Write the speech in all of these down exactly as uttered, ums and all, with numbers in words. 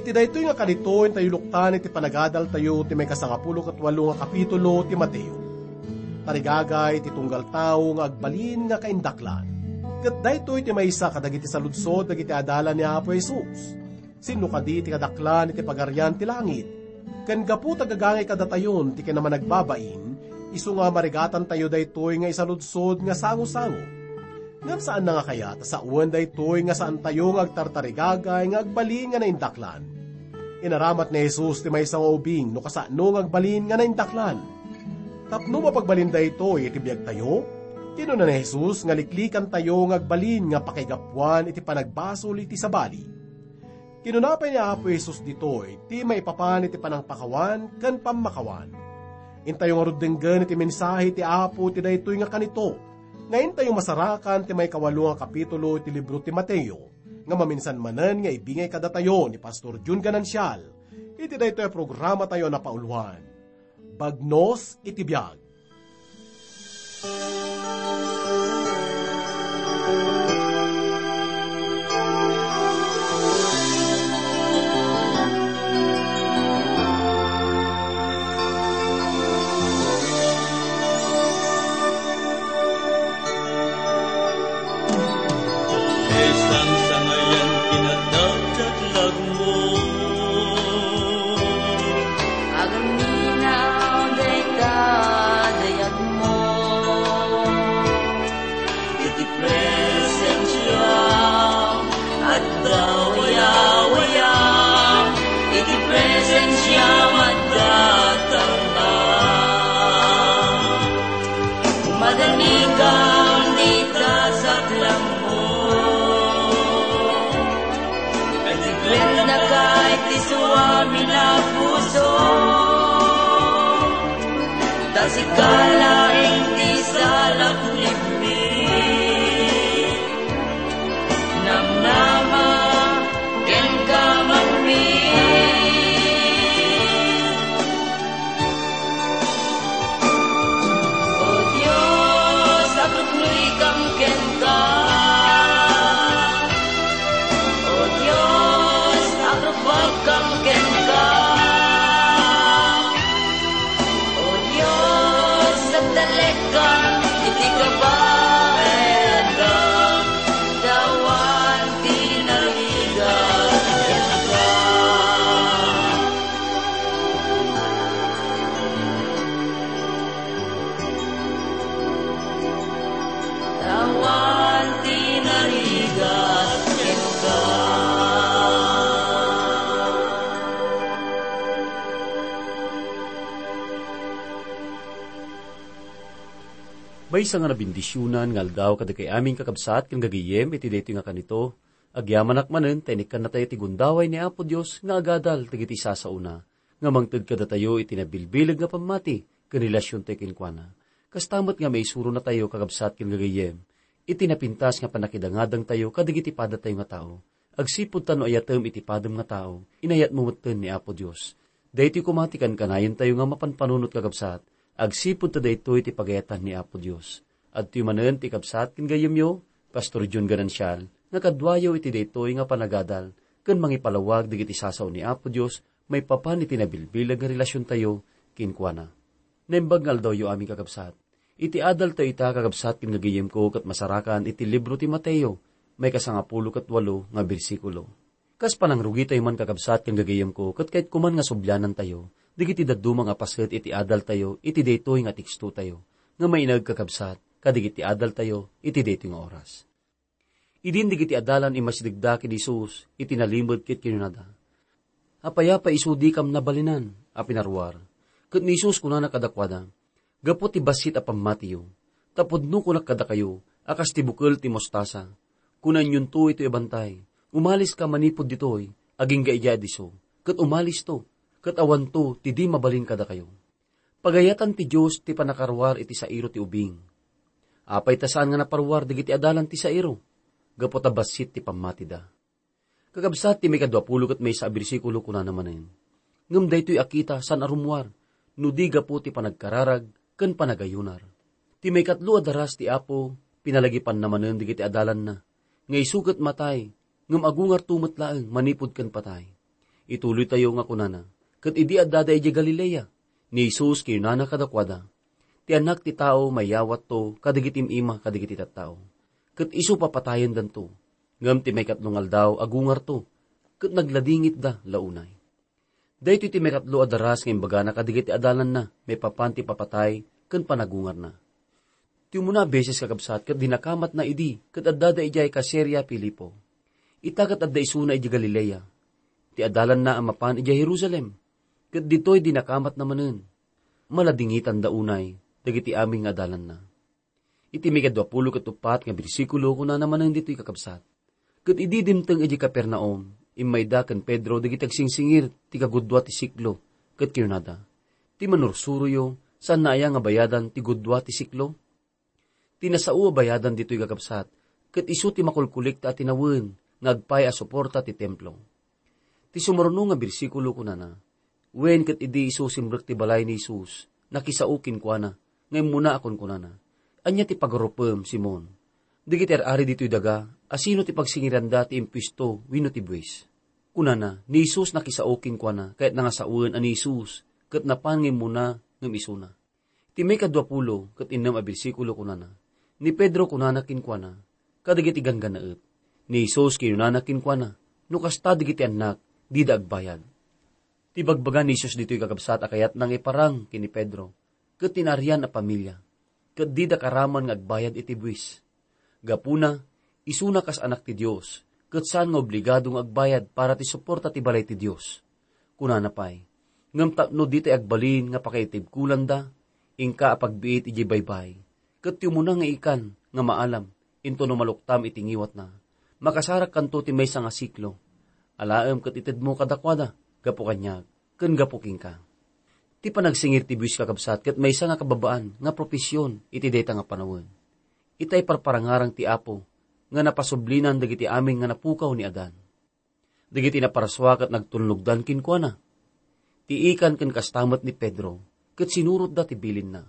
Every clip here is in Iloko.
Ti daytoy nga kanito, intayo luktan iti panagadaltayo ti maikasangapulo ket walo nga kapitulo ti Mateo. Tarigagay ti tunggal tao nga agbalin nga kaindaklan. Ket daytoy ti maysa kadagiti saludsod dagiti adalan ni Apo Jesus. Sinno kadi ti kadaklan iti Pagarian ti Langit? Ken gapu ta gagangay kadatayon ti kinamanagbabain, isu nga marigatantayo daytoy nga isaludsod nga sangosango. Ngem saanna nga kayat a sawen daytoy nga saantayo nga agtartarigagay nga agbalin nga naindaklan? Inaramat ni Jesus ti maysa nga ubing no kasano nga agbalin nga naindaklan. Tapno mapagbalin daytoy iti biagtayo, kinuna ni Jesus nga liklikantayo nga agbalin nga pakaigapuan iti panagbasol iti sabali. Kinuna pay ni Apo Jesus ditoy ti maipapan iti panangpakawan ken pammakawan. Intayo ngarud denggen iti mensahe ti Apo ti daytoy nga kanito, nga intayo masarakan ti maikawalo nga kapitulo iti libro ti Mateo, nga maminsan manen nga ibingay kadatayo ni Pastor Jun Ganancial iti daytoy a programatayo a napauloan, Bagnos iti Biag. Ket sangsangayan ti nadakdaklag Agamminaw dayta dayagmo. Iti presensiam adda wayawayam. Iti presensiam adda tangka. Madanikam dita saklangmo. Agdikdiknakay ti suamin a puso, ta sika laeng ti salaknibmi. Namnama kenka manmi. O Dios, agpuknoykam kenka. O Dios, agrupuakkam kenka. O Dios, agtalekam iti kabaelam, ta awan ti narigat kenka. Awan ti narigat kenka. Maysa nga nabendisionan nga aldaw kadagiti amin kakabsat ken gagayyem iti daytoy nga kanito. Agyamanak manen ta inikkannatayo ti gundaway ni Apo Dios nga agadal dagiti sasaona nga mangted kadatayo iti nabilbileg nga pammati ken relasiontayo kenkuana. Kasta met nga maisuronatayo, kakabsat ken gagayyem, iti napintas nga pannakidangadangtayo kadagiti padatayo nga tao. Agsipud ta no ayatem iti padem nga tao, inayatmo metten ni Apo Dios. Daytoy koma ti kankanayentayo nga mapanpanunot, kakabsat, agsipud ta daytoy ti pagayatan ni Apo Dios. Adtoy manen ti kabsat ken gayyemyo, Pastor John Ganancial, nga kaduayo iti daytoy nga panagadal ken mangipalawag dagiti sasao ni Apo Dios maipapan iti nabilbileg nga relasiontayo kenkuana. Naimbag nga aldawyo amin, kakabsat. Iti adaltayo ita, kakabsat ken gagayyemko, ket masarakan iti libro ti Mateo, maikasangapulo ket walo nga bersikulo. Kas panangrugitayo man, kakabsat ken gagayyemko, ket kayatko man nga sublianantayo dagiti dadduma nga paset iti adaltayo iti daytoy nga tekstotayo, nga maineg, kakabsat, kadagiti adaltayo iti daytoy nga oras. Idin dagiti adalan immasidegda ken ni Jesus iti nalimed ket kinunada, "Apay a pay isu dikam nabalinan a pinaruar?" Ket ni Jesus kunana kadakuada, "Gapu ti bassit a pammatiyo, ta pudno kunak kadakayo a kas ti bukel ti mostasa. Kunaenyonto itoy a bantay, 'Umaliska manipud ditoy, agingga idiay disso,' ket umalisto, ket awanto ti di mabalin kadakayo." Pagayatan ti Dios ti pannakaruar iti sairo ti ubing. Apay ta saan nga naparuar dagiti adalan ti sairo? Gapu ta bassit ti pammatida. Kakabsat, ti maikadua pulo ket maysa a bersikulo kunana manen, "Ngem daytoy a kita saan a rummuar, no di gapu ti panagkararag ken panagayunar." Ti maikatlo a daras ti Apo, pinalagipanna manen dagiti adalanna, nga isu ket matay, ngem agungarto met laeng manipud ken patay. Ituloytayo nga kunana, ket idi addada idiay Galilea, ni Jesus kinunana kadakuada, "Ti Annak ti Tao mayawatto kadagiti im-ima kadagiti tattao, ket isu papatayendanto, ngem ti maikatlo nga aldaw agungarto, ket nagladingitda la unay." Daytoy ti maikatlo a daras nga imbagana kadagiti adalanna maipapan ti papatay ken panagungarna. Ti umuna a beses, kakabsat, ket dinakamatna idi ket addada idiay Caesarea Filipo. Ita ket adda isuna idiay Galilea. Ti adalanna a mapan idiay Jerusalem, ket ditoy dinakamatna manen. Maladingitanda unay dagiti amin nga adalanna. Iti maikadua pulo ket uppat nga bersikulo, kunana manen ditoy, kakabsat, "Ket idi dimteng idiay Capernaum, immayda ken Pedro dagiti agsingsingir ti kagudua ti siklo, ket kinunada, 'Ti manursuroyo, saanna aya nga bayadan ti gudua ti siklo?'" Ti nasao a bayadan ditoy, kakabsat, ket isu ti makulkolekta a tinawen nga agpay a suporta ti Templo. Ti sumuruno nga bersikulo kunana, "Wen ket idi isu simrek ti balay ni Jesus, nakisao kenkuana, nga immuna a kunkunana, 'Ania ti pagarupem, Simon?' Dagiti ar-ari ditoy daga, asino ti pagsingiranda ti impuesto wenno ti buis?" Kunana, ni Jesus nakisao kenkuana, kayatna nga sawen a ni Jesus ket napan nga immuna ngem isuna. Ti maikadua pulo ket innem a bersikulo kunana, "Ni Pedro kunana kenkuana, kadagiti ganggannaet, ni Jesus kinunana kenkuana, 'No kasta dagiti annak, dida agbayad.'" Ti bagbaga ni Jesus ditoy, kakabsat, a kayatna nga iparang ken ni Pedro ket ti naarian a pamilia, ket dida karaman nga agbayad iti buis. Gapuna, isuna kas Anak ti Dios, ket saan nga obligado nga agbayad para ti suporta ti balay ti Dios. Kunana pay, "Ngem tapno ditay agbalin nga pakaitibkolanda, inka a pagbiit idiay baybay, ket ti umuna nga ikan nga maalam, intono maluktam iti ngiwatna, makasarakkanto ti maysa nga siklo. Alaem ket itedmo kadakuada, gapu kaniak, ken gapu kenka." Ti panagsingir ti buis, kakabsat, ket maysa nga kababaan nga profesion iti dayta nga panawen. Itay parparangarang ti Apo nga napasublinan dagiti amin nga napukaw ni Adan. Dagiti naparsua ket nagtulnogdan kenkuana. Ti ikan ken kasta met ni Pedro, ket sinurotda ti bilinna.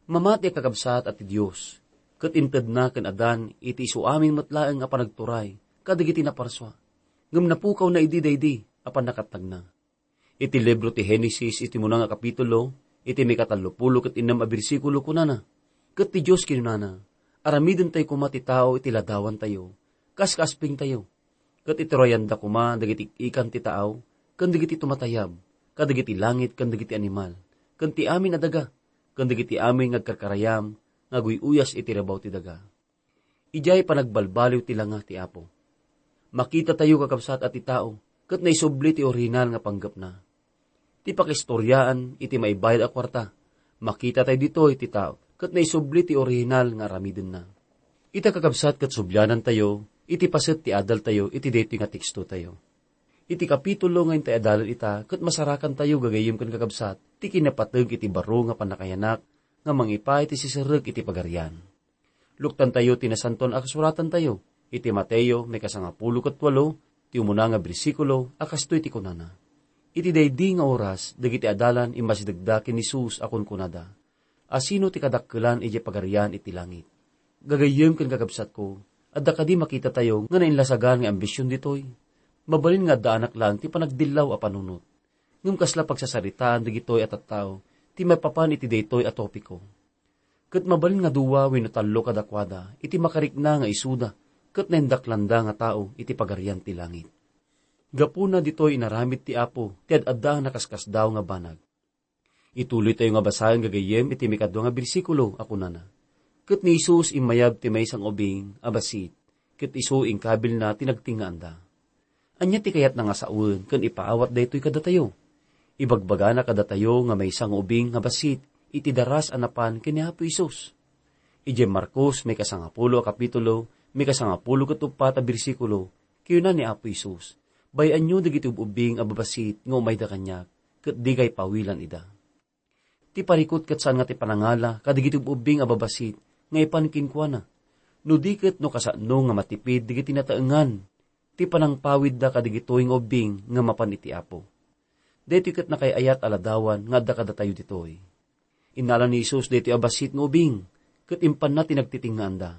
Mamati a kakabsat a ti Dios, ket intedna ken Adan iti isu amin met laeng a panagturay kadagiti naparsua, ngem napukawna idi daydi a pannakatnagna. Iti libro ti Genesis, iti muna nga kapitulo, iti maikatallopulo ket innem a bersikulo, kunana, "Ket ti Dios kinunana, 'Aramidentayo koma ti tao iti ladawantayo, kas kaaspingtayo. Ket iturayanda koma dagiti ikan ti tao, ken dagiti tumatayab, kadagiti langit, ken dagiti animal, ken ti amin a daga, ken dagiti amin nga agkarkarayam nga aguy-uyas iti rabaw ti daga.'" Idiay panagbalbaliw ti langa ti Apo. Makitatayo, kakabsat, a ti tao ket naisubli ti orihinal nga panggepna. Ti pakaistoriaan iti maibayad a kuarta, makitatayo ditoy ti tao ket naisubli ti orihinal nga aramidenna. Ita, kakabsat, ket sublianantayo iti paset ti adaltayo iti daytoy nga tekstotayo. Iti kapitulo nga intay adalan ita ket masarakantayo, gagayyem ken kakabsat, ti kinapateg iti baro nga pannakayanak nga mangipaay ti siserrek iti Pagarian. Luktantayo ti Nasantoan a Kasuratantayo iti Mateo, maikasangapulo ket walo, ti umuna nga bersikulo, a kastoy ti kunana, "Iti daydi nga oras, dagiti adalan immasidegda ken ni Jesus a kunkunada, 'Asino ti kadakkelan idiay Pagarian iti langit?'" Gagayyem ken kakabsatko, adda kadi makitatayo nga nainlasagan nga ambision ditoy? Mabalin nga addaanak laeng ti panagdillaw a panunot. Ngem kasla pagsasaritaan dagitoy a tattao ti maipapan iti daytoy a topiko. Ket mabalin nga dua wenno tallo kadakuada iti makarikna nga isuda ket naindaklanda nga tao iti Pagarian ti Langit. Gapuna ditoy inaramid ti Apo ti ad-adda a nakaskasdaaw nga banag. Ituloytayo nga basaen, gagayyem, iti maikadua nga bersikulo a kunana, "Ket ni Jesus immayab ti maysa nga ubing a bassit, ket isu inkabilna ti nagtengngaanda." Ania ti kayatna nga sawen ken ipaawat daytoy kadatayo? Ibagbagana kadatayo nga maysa nga ubing nga bassit iti daras a napan ken ni Apo Jesus. Idiay Marcos, maikasangapulo a kapitulo, maikasangapulo ket uppat a bersikulo, kinuna ni Apo Jesus, "Bay-anyo dagiti ub-ubbing a babassit nga umayda kaniak, ket dikay pawilan ida." Ti parikut ket saan nga ti panangala kadagiti ub-ubbing a babassit nga ipan kenkuana, no di ket no kasano nga matipid dagiti nataengan ti panangpawidda kadagitoy nga ubbing nga mapan iti Apo. Daytoy ket nakaay-ayat a ladawan nga adda kadatayo ditoy. Innala ni Jesus daytoy a bassit nga ubing, ket impanna ti nagtitingngaanda.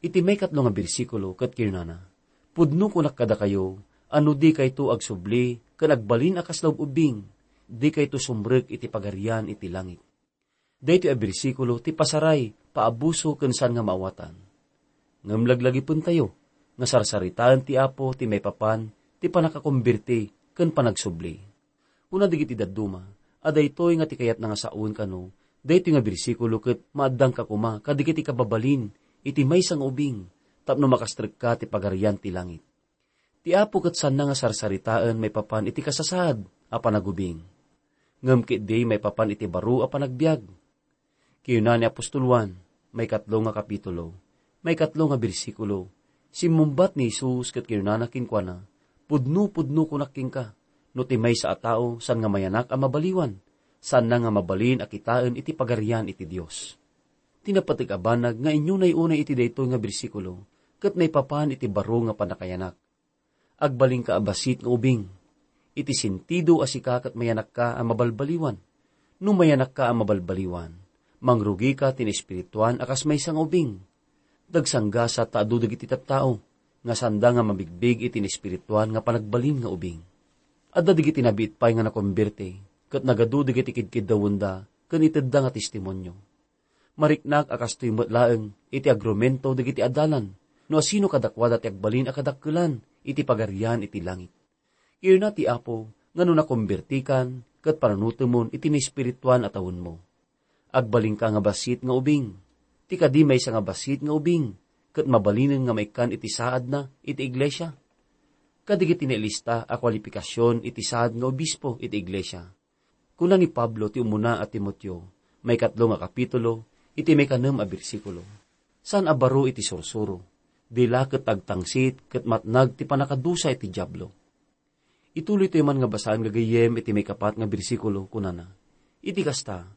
Iti maikatlo nga bersikulo ket kinunana, "Pudno kunak kadakayo, A no dikayto agsubli ken agbalin a kasla ub-ubbing, dikayto sumrek iti Pagarian iti langit. Daytoy a bersikulo ti pasaray, paabuso ken saan nga maawatan. Ngem laglagipentayo nga sarsaritaen ti Apo ti maipapan ti pannakakomberti ken panagsubli. Kuna dagiti dadduma a daytoy nga ti kayatna nga sawen kano daytoy nga bersikulo ket maaddangka koma kadagiti kababalin iti maysa nga ubing tapno makastrekka ti Pagarian ti langit. Ti Apo ket saanna nga sarsaritaen maipapan iti kasasaad a panagubing, ngem ketdi maipapan iti baro a panagbiag. Kinuna ni apostol Juan, maikatlo nga kapitulo, maikatlo nga bersikulo, simmungbat ni Jesus ket kinunana kenkuana, "Pudno, pudno kunak kenka, no ti maysa a tao saan nga mayanak a mabaliwan, saanna nga mabalin a kitaen iti Pagarian iti Dios." Ti napateg a banag nga inyunay unay iti daytoy nga bersikulo ket naipapan iti baro nga pannakayanak. Agbalinka a bassit nga ubing. Iti sentido a sika ket mayanakka a mabalbaliwan. No mayanakka a mabalbaliwan, mangrugika ti naespirituan a kas maysa nga ubing. Dagsanggasat ta adu dagiti tattao nga saanda nga mabigbig iti naespirituan nga panagbalin nga ubing. Adda dagiti nabiit pay nga nakomberti, ket nagadu dagiti kidkiddawenda ken itedda nga testimonio. Mariknak a kastoy met laeng iti agrumento dagiti adalan no asino kadakuada ti agbalin a kadakkelan iti Pagarian iti langit. Kinuna ti Apo nga no nakombertikan ket panunotemon iti naespirituan a tawenmo. Agbalinka nga bassit nga ubing. Ti kadi maysa nga bassit nga ubing ket mabalinen nga maikkan iti saadna iti iglesia. Kadagiti nailista a kualipikasion iti saad nga obispo iti iglesia. Kuna ni Pablo ti umuna a Timoteo, maikatlo nga kapitulo, iti maikanem a bersikulo, "Saan a baro iti sursuro, di la ket agtangsit ket matnag ti pannakadusa iti Diablo." Ituloytayo man nga basaen gagayyem iti maikapat nga bersikulo, kunana, "Iti kasta,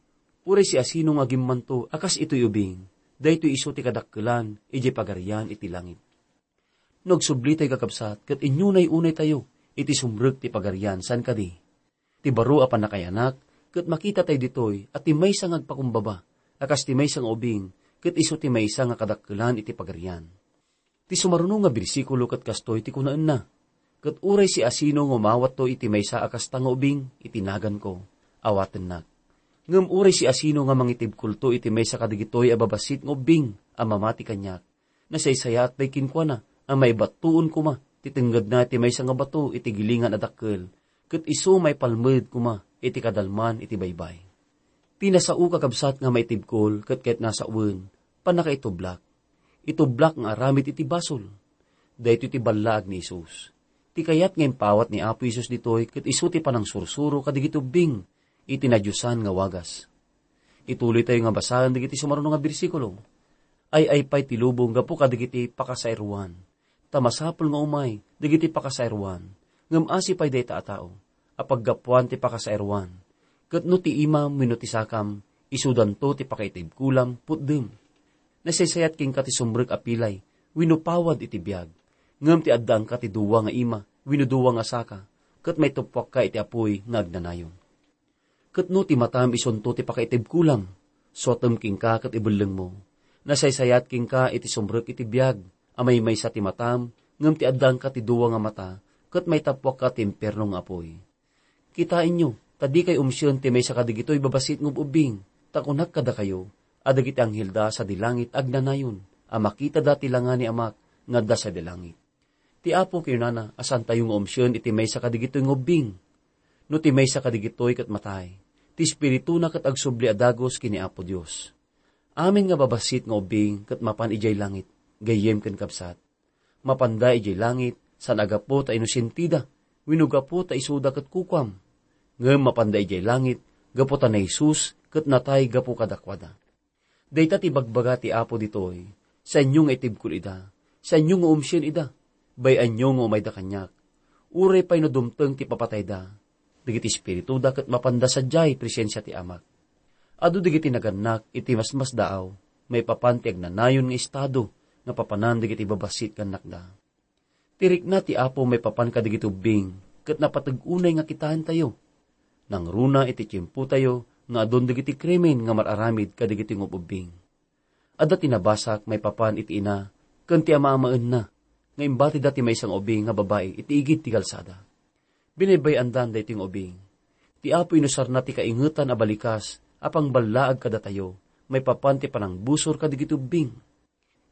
uray siasino nga agimmanto a kas itoy ubing, daytoy isu ti kadakkelan idiay Pagarian iti langit." No agsublitayo, kakabsat, ket inyunay-unaytayo iti sumrek ti Pagarian, saan kadi? Ti baro a pannakayanak, ket makitatayo ditoy a ti maysa nga agpakumbaba a kas ti maysa nga ubing, ket isu ti maysa nga kadakkelan iti Pagarian. Ti sumaruno nga bersikulo ket kastoy ti kunaenna, "Ket uray siasino nga umawatto iti maysa a kasta nga ubing iti naganko, awatennak. Ngem uray siasino nga mangitibkolto iti maysa kadagitoy a babassit nga ubbing a mamati kaniak, nasaysayaat pay kenkuana a maibattoen koma ti tengngedna iti maysa nga bato iti gilingan a dakkel, ket isu maipalmed koma iti kadalman iti baybay." Ti nasao, kakabsat, nga maitibkol ket kayatna a sawen, pannakaitublak. Itublak nga aramid iti basol. Daytoy ti ballaag ni Jesus. Ti kayat nga impawat ni Apo Jesus ditoy ket isu ti panangsursuro kadagiti ubbing iti nadiosan nga wagas. Ituloytayo nga basaen dagiti sumaruno nga bersikulo. Ay-ay pay ti lubong gapu kadagiti pakasairwan. Ta masapul nga umay dagiti pakasairwan, ngem asi pay dayta a tao a paggapuan ti pakasairwan. Ket no ti imam wenno ti sakam, isudanto ti pakaitibkolam, putdem. Nasaysayat kenka ti sumrek a pilay wenno pawad iti biag, ngem ti addaanka ti dua nga ima wenno dua nga saka, ket maituppuakka iti apuy nga agnanayon. Ket no ti matam isunto ti pakaitibkolam, suatem kenka ket ibellengmo. Nasaysayat kenka iti sumrek iti biag a maymaysa ti matam, ngem ti addaanka ti dua nga mata, ket maitappuakka ti impierno nga apuy. Kitaenyo, ta dikay umsien ti maysa kadagitoy babassit nga ub-ubbing, ta kunak kadakayo a dagiti anghelda sadi langit agnanayon a makitada ti langa ni Amak nga adda sadi langit. Ti Apo kinunana a saantayo nga umsien iti maysa kadagitoy nga ubbing. No ti maysa kadagitoy ket matay, ti espirituna ket agsubli a dagus ken ni Apo Dios. Amin nga babassit nga ubbing ket mapan idiay langit, gayyem ken kabsat. Mapanda idiay langit, saan a gapu ta inosentida, wenno gapu ta isuda ket kukuam. Ngem mapanda idiay langit, gapu ta ni Jesus ket natay gapu kadakuada. Dayta ti ibagbaga ti Apo ditoy, saanyo nga itibkol ida, saanyo nga umsien ida, bay-anyo nga umayda kaniak. Uray pay no dumteng ti papatayda, dagiti espirituda ket mapanda sadiay presensia ti Amak. Adu dagiti nagannak iti masmasdaaw, maipapan ti agnanayon nga estado nga papanan dagiti babassit nga annakda. Ti rikna ti Apo maipapan kadagiti ubbing ket napateg unay nga kitaentayo. Nangruna iti tiempotayo nga adun dagiti krimen nga mar-aramid kadagiti ngub-ubbing. Adda ti nabasak maipapan iti ina ken ti amaamaenna, nga imbatida ti maysa nga ubing nga babai iti igid ti kalsada. Binaybay-andan daytoy nga ubing. Ti Apo inusarna ti kaingetan a balikas a pangballaag kadatayo maipapan ti panangbusor kadagiti ubbing.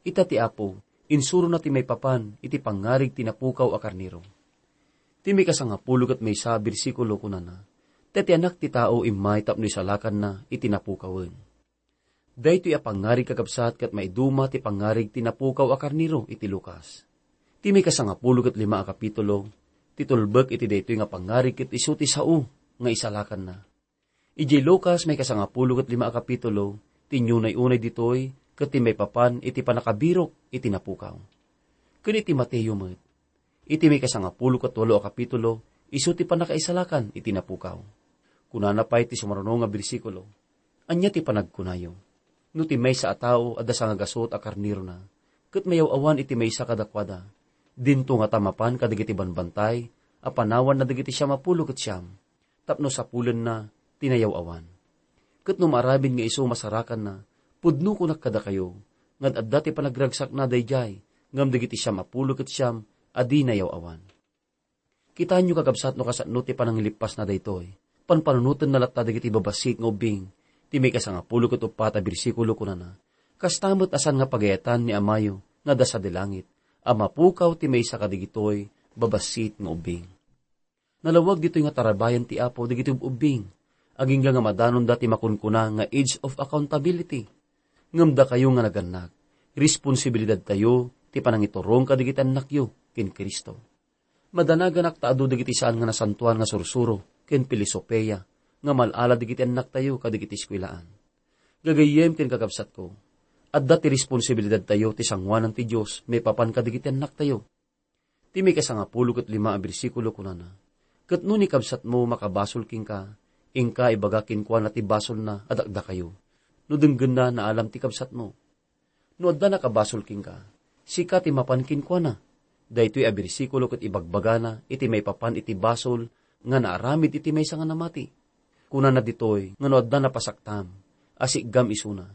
Ita ti Apo, insurona ti maipapan iti pangngarig ti napukaw a karnero. Ti maikasangapulo ket maysa a bersikulo kunana, "Ta ti Anak ti Tao immay tapno isalakanna iti napukawen." Daytoy a pangngarig, kakabsat, ket maiduma ti pangngarig ti napukaw a karnero iti Lucas. Ti maikasangapulo ket lima a kapitulo, ti tulbek iti daytoy nga pangngarig ket isu ti sao nga isalakanna. Idiay Lucas maikasangapulo ket lima a kapitulo, ti inunay-unay ditoy ket ti maipapan iti pannakabirok iti napukaw. Ken iti Mateo met, iti maikasangapulo ket walo a kapitulo, isu ti pannakaisalakan iti napukaw. Kunana pay ti sumaruno nga bersikulo, "Ania ti panagkunayo? No ti maysa a tao adda sangagasut a karnerona, ket mayaw-awan iti maysa kadakuada, dinto ngata mapan kadagiti banbantay a panawanna dagiti siam a pulo ket siam, tapno sapulenna ti nayaw-awan. Ket no maaramid nga isu masarakanna, pudno kunak kadakayo, nga adda ti panagragsakna daydiay, ngem dagiti siam a pulo ket siam a di nayaw-awan." Kitaenyo, kakabsat, no kasano ti panangilippasna daytoy. Panpanunotenna latta dagiti babassit nga ubbing. Ti maikasangapulo ket uppat a bersikulo kunana, "Kasta met a saan nga pagayatan ni Amayo nga adda sadi langit, a mapukaw ti maysa kadagitoy babassit nga ubbing." Nalawag ditoy nga tarabayan ti Apo dagiti ub-ubbing, agingga nga madanonda ti makunkuna nga age of accountability. Ngem dakayo nga nagannak, responsibilidadtayo ti panangiturong kadagiti annakyo ken Cristo. Madanaganak ta adu dagiti saan nga nasantoan nga sursuro ken pilosopiya nga mal-ala dagiti annaktayo kadagiti eskuelaan. Gagayyem ken kakabsatko, adda ti responsibilidadtayo ti sangoanan ti Dios maipapan kadagiti annaktayo. Ti maikasangapulo ket lima a bersikulo kunana, "Ket no ni kabsatmo makabasol kenka, inka ibaga kenkuana ti basolna a dakdakayo. No denggenna, naalam ti kabsatmo. No adda nakabasol kenka, sika ti mapan kenkuana." Daytoy a bersikulo ket ibagbagana iti maipapan iti basol nga naaramid iti maysa nga namati. Kunana ditoy nga no adda napasaktam a siggam isuna.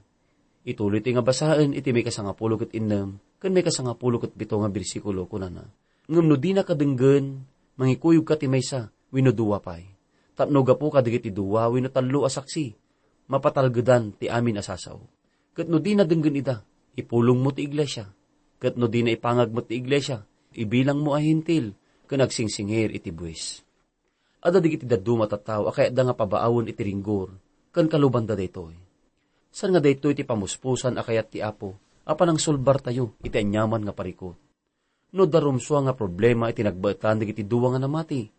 Ituloytoy nga basaen iti maikasangapulo ket innem ken maikasangapulo ket pito nga bersikulo, kunana, "Ngem no dinaka denggen, mangikuyogka ti maysa wenno dua pay. Tapno gapu kadagiti dua wenno tallo a saksi, mapatalgedan ti amin a sasao. Ket no dina denggen ida, ipulongmo ti iglesia. Ket no dina ipangag met ti iglesia, ibilangmo a Hentil ken agsingsingir iti buis." Adda dagiti dadduma a tattao a kayatda nga pabaawen iti ringgor ken kalubanda daytoy. Saan nga daytoy ti pamuspusan a kayat ti Apo a panangsulbartayo iti aniaman nga parikut. No adda rumsua nga problema iti nagbaetan dagiti dua nga namati,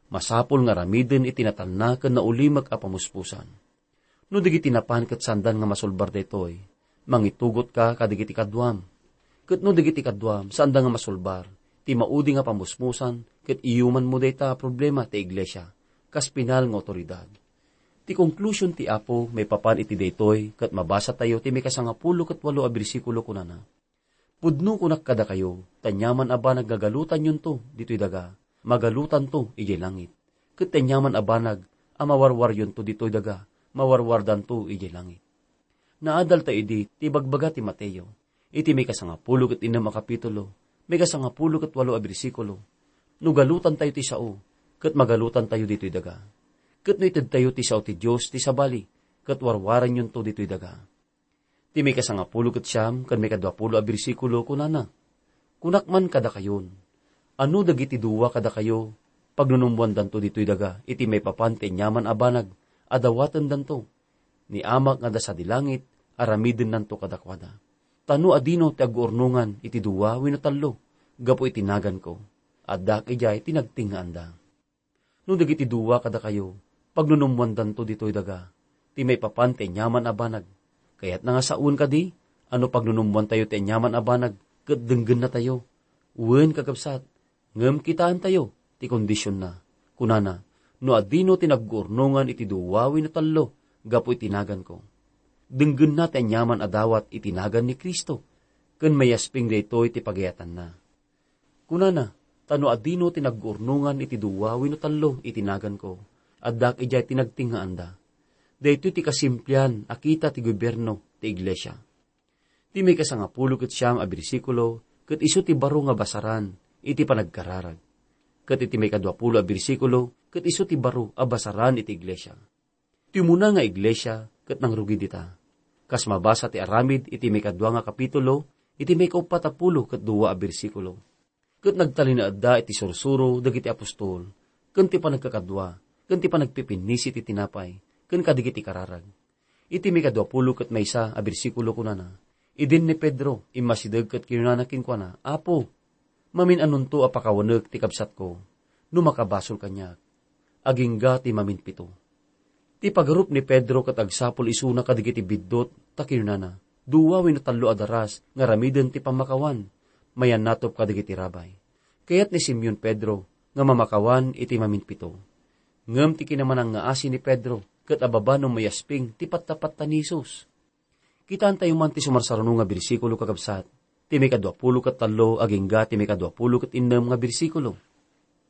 masapul nga aramiden iti natalna ken naulimek a pamuspusan. No dagiti napan ket saandan nga masulbar daytoy, mangitugotka kadagiti kaduam. Ket no dagiti kaduam saanda nga masulbar, ti maudi nga pamusmusan ket iyumanmo dayta a problema ti iglesia kas pinal nga awtoridad. Ti konklusion ti Apo maipapan iti daytoy ket mabasatayo ti maikasangapulo ket walo a bersikulo, kunana, "Pudno kunak kadakayo, ta aniaman a banag nga galutanyonto ditoy daga, magalutanto idiay langit. Ket ti aniaman a banag a mawarwaryonto ditoy daga, mawarwardanto idiay langit." Naadalta idi ti ibagbaga ti Mateo, iti maikasangapulo ket innem a kapitulo, maikasangapulo ket walo a bersikulo, "No galutantayo ti sao, ket magalutantayo ditoy daga. Ket no itedtayo ti sao ti Dios ti sabali, ket warwaranyonto ditoy daga." Ti maikasangapulo ket siam ken maikaduapulo a bersikulo, kunana, "Kunak man kadakayon, anu dagiti dua kadakayo, pagnunummoandanto ditoy daga iti maipapan ti aniaman a banag a dawatendanto. Ni Amak nga adda sadi langit, aramidennanto kadakuada. Ta no adino ti agguurnongan iti dua wenno tallo gapu iti naganko, addak idiay ti nagtengngaanda." No dagiti dua kadakayo, pagnunummoandanto ditoy daga, ti maipapan ti aniaman a banag. Kayatna nga sawen kadi a no pagnunummoantayo ti aniaman a banag ket denggennatayo? Wen, kakabsat, ngem kitaentayo ti kondisionna. Kunana, "No adino ti nagguurnongan iti dua wenno tallo gapu iti naganko, denggenna ti aniaman a dawat iti nagan ni Cristo, ken mayasping daytoy ti pagayatanna." Kunana, "Ta no adino ti nagguurnongan iti dua wenno tallo iti naganko, addak idiay ti nagtengngaanda." Daytoy ti kasimplian a kita ti gobierno ti iglesia. Ti maikasangapulo ket siam a bersikulo ket isu ti baro nga basaran iti panagkararag. Ket iti maikadua pulo a bersikulo, ket isu ti baro a basaran iti iglesia. Ti umuna nga iglesia ket nangrugi dita. Kas mabasa ti aramid iti maikadua nga kapitulo, iti maikauppat a pulo ket dua a bersikulo. Ket nagtalinaedda iti sursuro dagiti apostol, ken ti panagkakadua, ken ti panagpipinnisi ti tinapay, ken kadigiti kararag. Iti maikadua pulo ket maysa a bersikulo kunana, idin ni Pedro immasideg ket kinunana kenkuana, "Apo, mamin-anonto a pakawanek ti kabsatko, no makabasol kaniak?" Agingga ti maminpito. Ti pagarup ni Pedro ket agsapul isuna kadigiti biddut, ta kinunana, "Dua wenno tallo a daras nga aramiden ti pammakawan, mayannatop kadigiti rabay." Kayat ni Simeon Pedro nga mamakawan iti maminpito. Ngem ti kinamanangngaasi ni Pedro ket ababa no mayasping ti pattapatta ni Jesus. Kitaentayo man ti sumarsaruno nga bersikulo, kakabsat, ti maikadua pulo ket tallo agingga ti maikadua pulo ket innem nga bersikulo.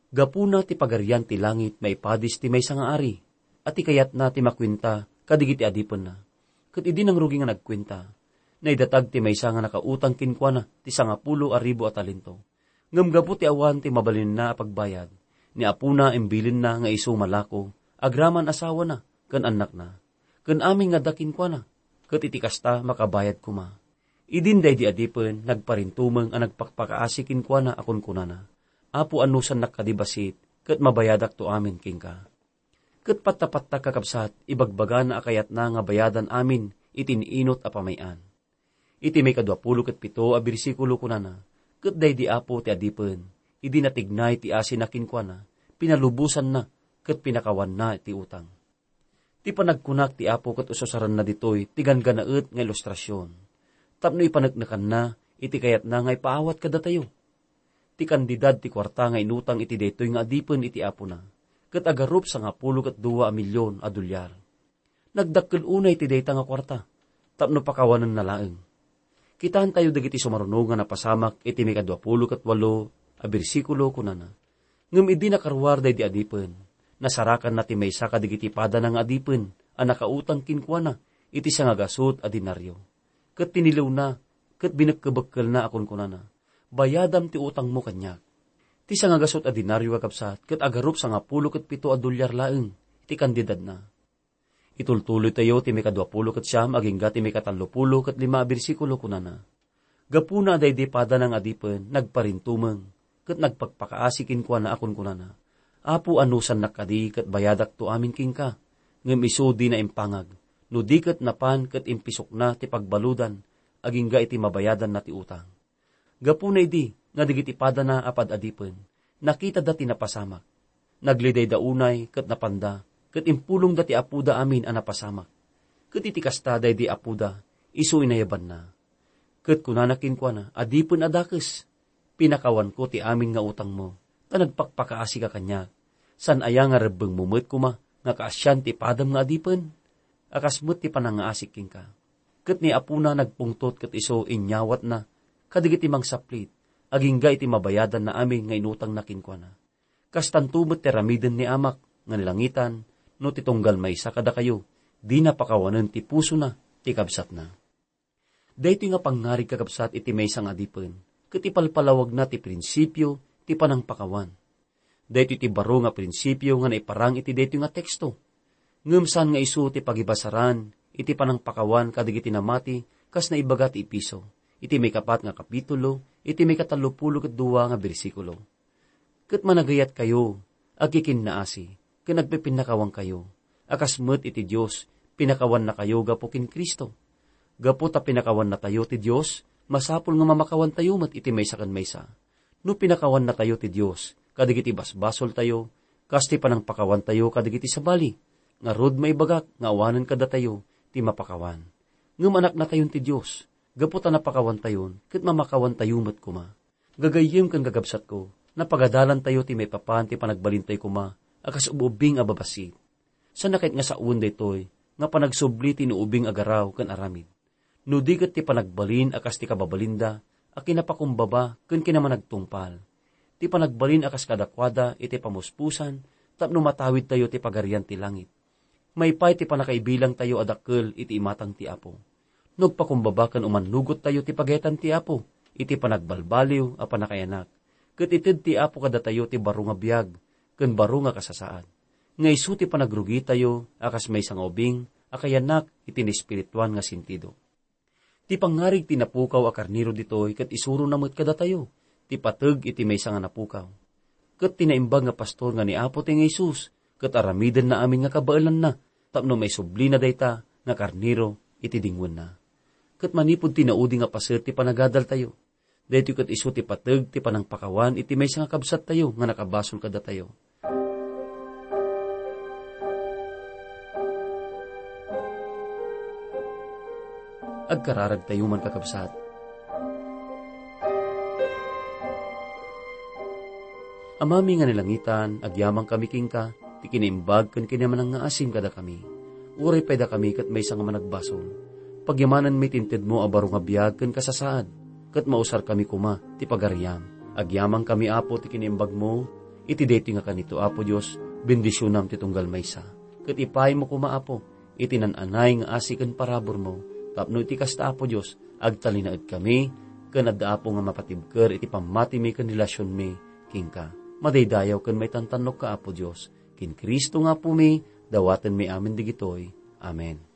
Gapuna ti Pagarian ti langit maipadis ti maysa nga ari, a ti kayatna ti makuenta kadigiti adipenna. Ket idi nangrugi nga nagkuenta, naidatag ti maysa nga nakautang kenkuana ti sangapulo a ribu a talento. Ngem gapu ti awan ti mabalinenna a pagbayad, ni apuna imbilinna nga isu malako agraman asawana ken annakna, ken amin nga adda kenkuana, ket iti kasta makabayad koma. Idin daydi adipen nagparintumeng a nagpakpakaasi kenkuana a kunkunana, "Apo, anusannak kadi bassit, ket mabayadakto amin kenka." Ket patta-patta, kakabsat, ibagbagana a kayatna nga bayadan amin iti inut a pamay-an. Iti maikadua pulo ket pito a bersikulo kunana, "Ket daydi apo ti adipen, idi natignay ti asina kenkuana, pinalubosanna ket pinakawanna ti utang." Ti panagkunak ti Apo ket ususaranna ditoy ti ganggannaet nga ilustrasion tapno ipaneknekanna iti kayatna nga ipaawat kadatayo. Ti kantidad ti kuarta nga inutang iti daytoy nga adipen iti apona ket agarup sangapulo ket dua a milion a dolyar. Nagdakkel unay ti dayta nga kuarta tapno pakawanenna laeng. Kitaentayo dagiti sumaruno nga napasamak iti maikadua pulo ket walo a bersikulo, kunana, "Ngem idi nakaruar daydi adipen, nasarakanna ti maysa kadagiti padana nga adipen a nakautang kenkuana iti sangagasut a denario. Ket tiniliwna ket binekkebekkelna a kunkunana, 'Bayadam ti utangmo kaniak.' Ti sangagasut a denario, kakabsat, ket agarup sangapulo ket pito a dolyar laeng ti kantidadna." Itultuloytayo ti maikadua pulo ket siam agingga ti maikatallo pulo ket lima a bersikulo, kunana, "Gapuna a daydi padana nga adipen nagparintumeng ket nagpakpakaasi kenkuana a kunkunana, 'Apo, anusannak kadi ket bayadakto amin kenka?' Ngem isu dina impangag, no di ket napan ket impisukna ti pagbaludan agingga iti mabayadanna ti utang. Gapuna idi nga dagiti padana a pad-adipen, nakitada ti napasamak. Naglidayda unay ket napanda, ket impulongda ti apoda amin a napasamak. Ket iti kasta, daydi apoda, isu inayabanna. Ket kunana kenkuana, 'Adipen a dakes, pinakawanko ti amin nga utangmo, ta nagpakpakaasika kaniak. Saan aya nga rebbengmo met koma nga kaasian ti padam nga adipen?' A kas met ti panangngaasik kenka." Ket ni apona nagpungtot ket isu inyawatna kadagiti mangsaplit agingga iti mabayadanna amin nga inutangna kenkuana. Kastanto met ti aramiden ni Amak nga nalangitan, no ti tunggal maysa kadakayo, dina pakawanen ti pusona ti kabsatna. Daytoy nga pangngarig, kakabsat, iti maysa nga adipen, ket ipalpalawagna ti prinsipio ti panangpakawan. Daytoy ti baro nga prinsipio nga naiparang iti daytoy nga teksto. Ngem saan nga isu ti pagibasaran iti panangpakawan kadagiti namati, kas naibaga ti Efeso, iti maikapat nga kapitulo, iti maikatallo pulo ket dua nga bersikulo. Ket managayatkayo, agkikinnaasi, ken agpipinnakawankayo, a kas met iti Dios, pinakawannakayo gapu ken Cristo. Gapu ta pinakawannatayo ti Dios, masapul nga mamakawantayo met iti maysa ken maysa. No pinakawannatayo ti Dios kadagiti basbasoltayo, kas ti panangpakawantayo kadagiti sabali, ngarud maibagak nga awanen kadatayo ti mapakawan. Ngem anaknatayon ti Dios, gapu ta napakawantayon ket mamakawantayo met koma. Gagayyem ken gagabsatko, napagadalantayo ti maipapan ti panagbalintayo koma a kas ub-ubbing a babassit. Saan a ket nga sawen daytoy nga panagsubli ti inuubing a garaw ken aramid. No di ket ti panagbalin a kas ti kababalinda a kinapakumbaba ken kinamanagtungpal, ti panagbalin a kas kadakuada iti pamuspusan tapno matawidtayo ti Pagarian ti Langit. Maipay ti pannakaibilangtayo a dakkel iti imatang ti Apo. No agpakumbaba ken umannugottayo ti pagayatan ti Apo, iti panagbalbaliw a pannakayanak, ket ited ti Apo kadatayo ti baro nga biag ken baro nga kasasaad, nga isu ti panagrugitayo a kas maysa nga ubing a kayanak iti naespirituan nga sentido. Ti pangngarig ti napukaw a karnero ditoy ket isurona met kadatayo ti pateg iti maysa nga napukaw. Ket ti naimbag nga pastor nga ni Apo ti nga Jesus ket aramidenna amin nga kabaelanna tapno maisublina dayta nga karnero iti dingwenna. Ket manipud ti naudi nga paset ti panagadaltayo, daytoy ket isu ti pateg ti panangpakawan iti maysa nga kabsattayo nga nakabasol kadatayo. Agkararagtayo man, kakabsat. Amami nga nalangitan, agyamankami kenka, ti kinaimbag ken kinamanangngaasim kadakami. Uray pay dakami ket maysa nga managbasol. Pagyamananmi ti intedmo a baro nga biag ken kasasaad, ket mausarkami koma ti pagariam. Agyamankami, Apo, ti kinaimbagmo, iti daytoy nga kanito, Apo Dios, bendisionam ti tunggal maysa. Ket ipaaymo koma, Apo, iti nan-anay nga asi ken paraburmo, tapno iti kasta, Apo Dios, agtalinaedkami, ken adda, Apo, nga mapatibker iti pammatimi ken relasionmi kenka. Madaydayaw ken maitantannokka, Apo Dios, ken Cristo nga Apomi, dawatenmi amin digitoy. Amen.